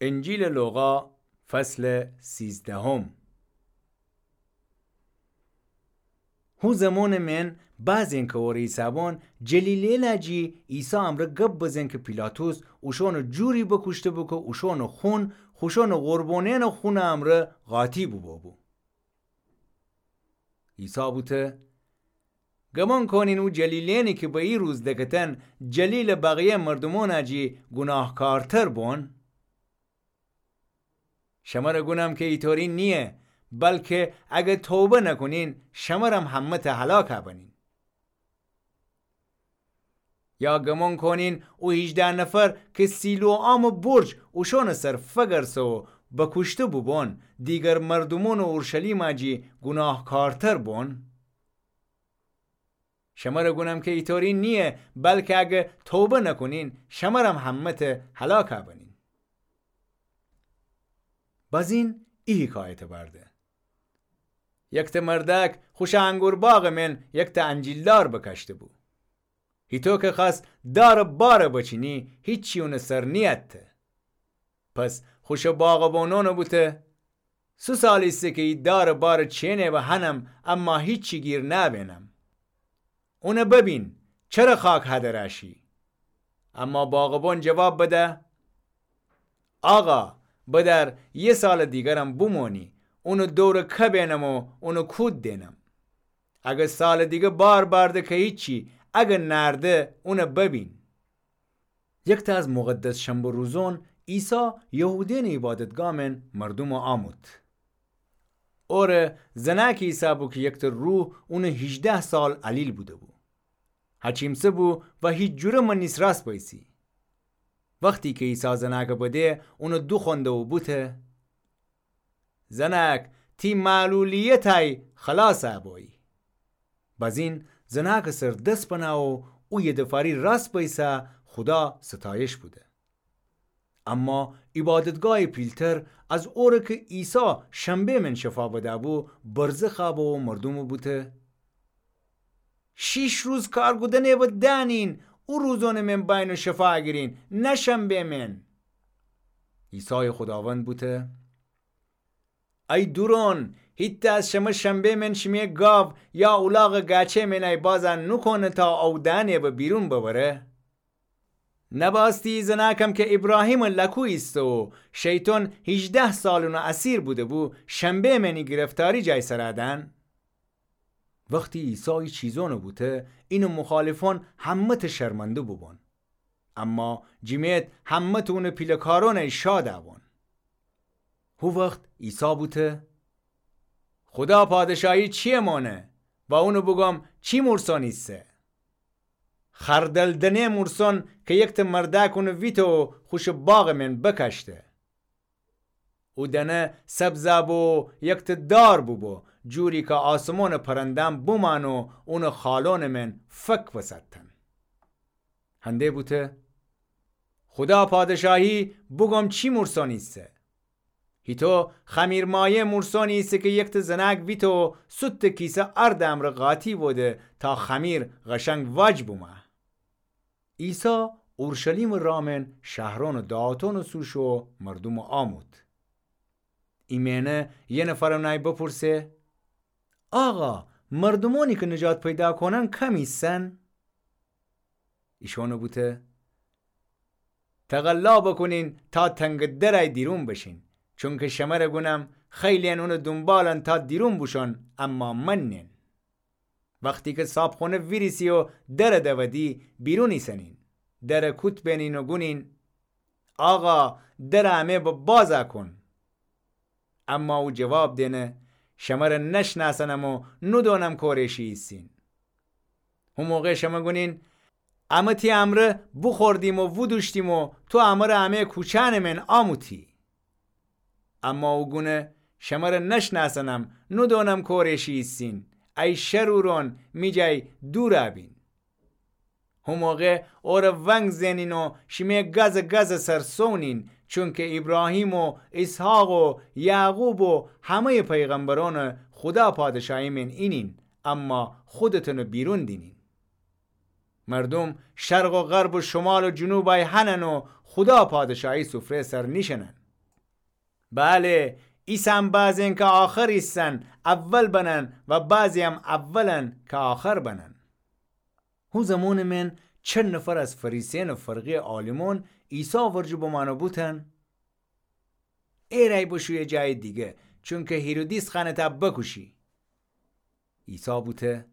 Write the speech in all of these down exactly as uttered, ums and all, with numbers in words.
انجیلٚ لوقا، فصلٚ سیزدهم. هو زمانٚ مئن بعض انکوارٚ ایسابان جلیلیلا جی عیسی امرأ گب بزن کی پیلاطس اوشانٚ جوری بوکوشته بو کی اوشانٚ خون خوشانٚ قربانیأنٚ خونٚ امرأ قاطی بوبو بو. عیسی بوته: گمان کانین او جلیلیأنی کی به ای روز دکتن جلیلٚ بقیه مردومأنا جی گوناهکارتر بون؟ شمر گونم کی ایطوری نییه، بلکی اگر توبه نکونین، شمرم همه‌تأ هلاک بنین. یا گمان کانین او هیجده نفر کی سیلوآمٚ برج اوشانٚ سر فگرسه و بوکوشته بوبون، دیگر مردومأنٚ اورشلیما جی گوناهکارتر بون؟ شمر گونم کی ایطوری نییه، بلکی اگر توبه نکونین، شمرم همه‌تأ هلاک بنین. بزین ای حکایت بأرده: یکتأ مردأک خوشٚ انگور باغٚ مئن یکتأ انجیلدار بکاشته بو. هیطو کی خوأست دارٚ بار بچینی، هیچی اونٚ سر نیأتته. پس خوشٚ باغبانأن بوته: سو سال ایسه کی ای دارٚ بار چئنی و هنم، اما هیچی گیر نأبئنم. اون ببین، چره خاک هدر شی؟ اما باغبان جواب بده: آقا، بدأر یه سالٚ دیگرم بمانی، اونٚ دورٚ کبئنم و اون کود دئنم. اگر سالٚ دیگر بار بأرده کی هیچی، اگر نأرده، اون ببین. یکتأ از مقدس شنبه روزأن عیسی یهودیأنٚ عیبادتگاه مئن مردوم آموت. اوره زنأکی ایسه بو کی یکتأ روح اون هیجده سال علیل بوده بو. هچیمسه بو و هیچ جوره مأنیس راس بأیسی. وختی کی عیسی زنأک بده، اون دوخوأنده و بوته: زنأک، تی معلولیتأی خلاص بویی. بزین زنأکٚ سر دس بنه و او یدفاری راس بأیسه، خودا ستایش بوده. اما عیبادتگاهٚ پیلتر از اوره کی عیسی شنبه مئن شفا بده‌بو، برزه خوأبه و مردوم بوته: شیش روز کار کودنی و دأنین، او روزأنٚ مئن بأیین و شفا گیرین، نه شنبه مئن. عیسایٚ خوداوند بوته: ای دورون، هیتأ از شمه شنبه مئن شیمی گاو یا اولاغٚ گأچه مئن ای بازأ نوکونه تا او دأنه و بیرون ببره؟ نبأستی ای زنأکم کی ایبراهیمٚ لکو ایسته و شیطان هیجده سال اونٚ اسیر بوده‌بو، شنبه مئن ای گرفتاری جای سر دأن؟ وختی عیسی ای چیزأن بوته، اینٚ مخالفأن همه‌تأ شرمنده بوبون. اما جیمیت همه‌تأ اونٚ پیله‌کارأنی شاد بون. هو وخت عیسی بوته: خودا پادشاهی چی‌یه مانه و اونٚ بوگم چی مورسأن ایسه؟ خردل دنه مورسأن کی یکتأ مردأک اون ویته و خوشٚ باغٚ مئن بکاشته. او دنه سبزأ بو و یکتأ دار بوبو، جوری کی آسمانٚ پرنده‌م بومأن و اونٚ خالأنٚ مئن فک بسأتن. هنده بوته: خودا پادشاهی بوگم چی مورسأن ایسه؟ هیتو خمیر مایه مورسأنی ایسه کی یکتأ زنأک ویته و سوتٚ کیسه ارد امرأ قاطی بوده تا خمیر قشنگ واج بومه. عیسی اورشلیمٚ راه مئن شهرأن و دهاتأنٚ سو شو و مردومٚ آموت. ایمأنه یه نفر اونأی بپرسه: آقا، مردومأنی کی نجات پیدا کونن کم ایسن؟ ایشأن بوته: تقلا بوکونین تا تنگٚ درأی دیرون بشین، چونکی شمر گونم خیلی‌یأن اونٚ دونبالأن تا دیرون بوشون، اما مأنین. وختی کی صابخونه ویریسی و در دودی، بیرون ایسنین، در کوت بنین و گونین: آقا، در امه به باز کون. اما او جواب دینه: شمر نشنأسنم و نودونم کوره شی ایسین. هو موقع شمه گونین: امه تی امرأ بوخوردیم و وودوشتیم و تو امر امه کوچأنٚ مئن آموتی. اما او گونه: شمر نشنأسنم، نودونم کوره شی ایسین، ای شرورأن، می جای دورأ بین. هو موقع اور ونگ زنین و شیمه گزٚ گزٚ سر سونین، چونکی ایبراهیم و ایسحاق و یعقوب و همه‌یٚ پیغمبرأن خودا پادشاهی مئن اینین، اما خودتون بیرون دینین. مردوم شرق و غرب و شمال و جنوبأی هنن و خودا پادشاهی سفره سر نیشنن. بله، ایسم بعضین کی آخر ایسن، اول بنن و بعضیم اولن کی آخر بنن. هو زمانٚ مئن چند نفر از فریسیأن و فرقهٔ عالیمأن عیسی ورجه بمأن و بوتن: ای رأی بشو یه جایٚ دیگه، چونکی هیرودیس خوأنه تا بکوشی. عیسی بوته: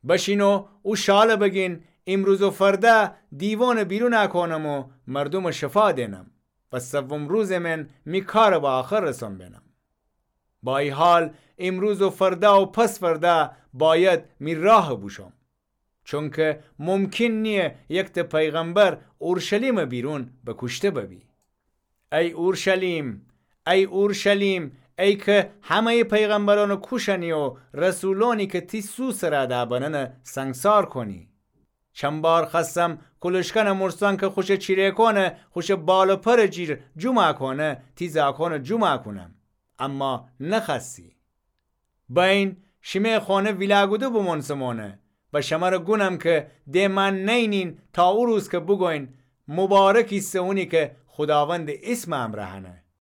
بشین و او شاله بگین، ایمروز و فرده دیوانٚ بیرون کونم و مردومٚ شفا دینم و سوم روزٚ مئن می کارٚ به آخر رسون بینم. با ای حال، ایمروز و فرده و پس فرده باید می راه بوشوم. چونکی ممکن نییه یکته پیغمبر اورشلیمٚ بیرون بکوشته ببی. ای اورشلیم، ای اورشلیم، ای کی همهٔ پیغمبرأن کوشنی و رسولأنی کی تی سو سر ادا بننه سنگسار کونی. چند بار خوأستم کولشکنٚ مورسأن کی خوشٚ چیره‌کأنه خوشٚ بال و پرٚ جیر جومأ کونه، تی زاکأنٚ جومأ کونم، اما نخوأستی. بأیین، شیمه خونه ویلاگوده بومونسمونه و شمره گونم کی ده مأن نئینین تا او روز کی بوگوین: مبارک ایسه اونی کی خوداوندٚ ایسمٚ امرأ هنه.